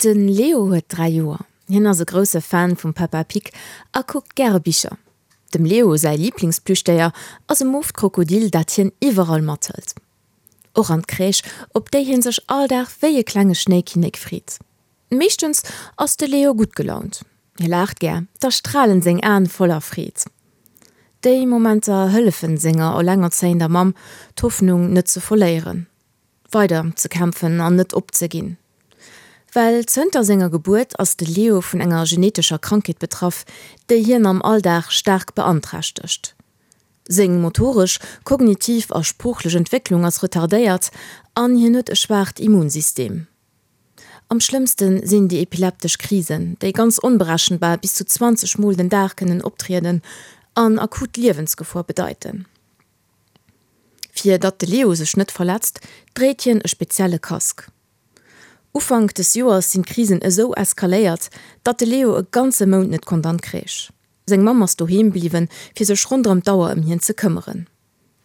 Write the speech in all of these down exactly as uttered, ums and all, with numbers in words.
De Leo huet dräi Joer. Hien ass e grousse Fan vum Peppa Pig a kuckt gäre Bicher. Dem Leo säi Liblingsplüschdéier ass e mooft Krokodil, dat hien iwwerall mathëlt. Och an d'Crèche, op déi hie sech all Dag wéi e klenge Schnéikinnek freet. Meeschtens ass de Leo gutt gelaunt. Hie laacht gär, da stralen seng Aen voller Freed. Déi Momenter hëllefen senger elengerzéiender Mamm, d'Hoffnung net ze verléieren, weider ze kämpfen an net opzeginn. Well zënter senger Gebuert ass de Leo vun enger genetescher Krankheet betraff, déi hien am Alldag staark beanträchtegt. Seng motoresch, kognitiv a sproochlech Entwécklung ass retardéiert an hien huet e schwaacht Immunsystem. Am schlëmmste sinn déi epileptesch Krisen, déi ganz onberechenbar bis zu zwanzeg Mol den Dag kënnen optrieden an akut Liewensgefor bedeiten. Fir datt de Leo sech net verletzt, dréit hien e spezielle Casque. Ufank des Joers sinn d'Krisen esou eskaléiert, datt de Leo e ganze Mount net konnt an d'Crèche. Seng Mamm ass doheem bliwwen, fir sech ronderëm d'Auer ëm hien ze këmmeren.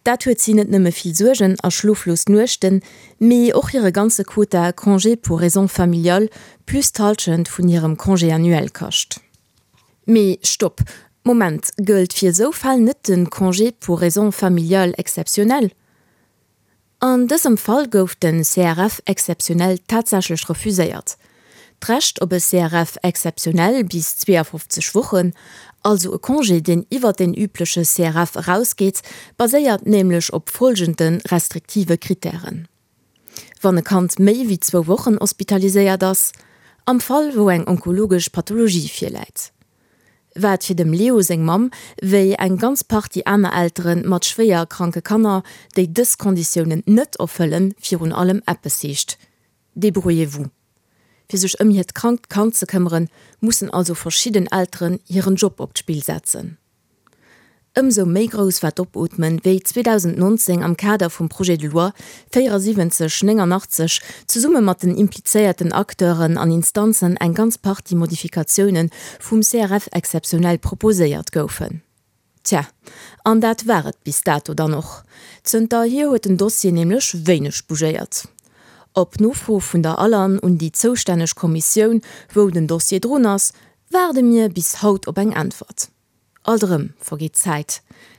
Dat huet si net nëmme vill Suergen a schloflos Nuechten, mee och hire ganze Quota Congé pour raisons familiales plus d'Hallschent vun hirem Congé annuel kascht. Mee stopp, Moment, gëllt fir esou Fäll net de Congé pour raisons familiales exceptionnelles? An dësem Fall gouf den C R F exceptionnel tatsächlech refuséiert. D'Recht op e C R F exceptionnel bis zweeëfofzeg Wochen, also e Congé, deen iwwer den übleche C R F erausgeet, baséiert nämlech op folgende restriktive Kritären. Wann e Kand méi wéi zwou Wochen hospitaliséiert ass, am Fall wou eng onkologesch Pathologie virläit. Wat fir dem Leo seng Mamm, wéi eng ganz Partie aner Eltere mat schwéier kranke Kanner, déi dës Konditiounen net erfëllen, virun allem eppes heescht. Débrouillez-vous. Fir sech ëm hiert krankt Kand ze këmmeren, mussen also verschidden Elteren hiren Job op d'Spill setzen. Ëmsou méi grouss war d'Opootmen, wéi zweedausendnonzéng am Kader vum Projet de loi véierasiwwenzeg néngernachtzeg zesumme mat den implizéierten Acteuren an Instanzen eng ganz Partie Modifikatioune vum C R F exceptionnel proposéiert goufen. Tja, an dat war et bis dato dann och. Zënterhier huet den Dossier nämlech wéineg bougéiert. Op Nofro vun der Alan un déi zoustänneg Kommissioun, wou den Dossier drun ass, waarde mir bis haut op eng Äntwert. Alt erëm vergeet Zäit.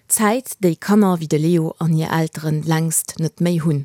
Zäit, déi Kanner wéi de Leo an hir Elteren längst net méi hunn.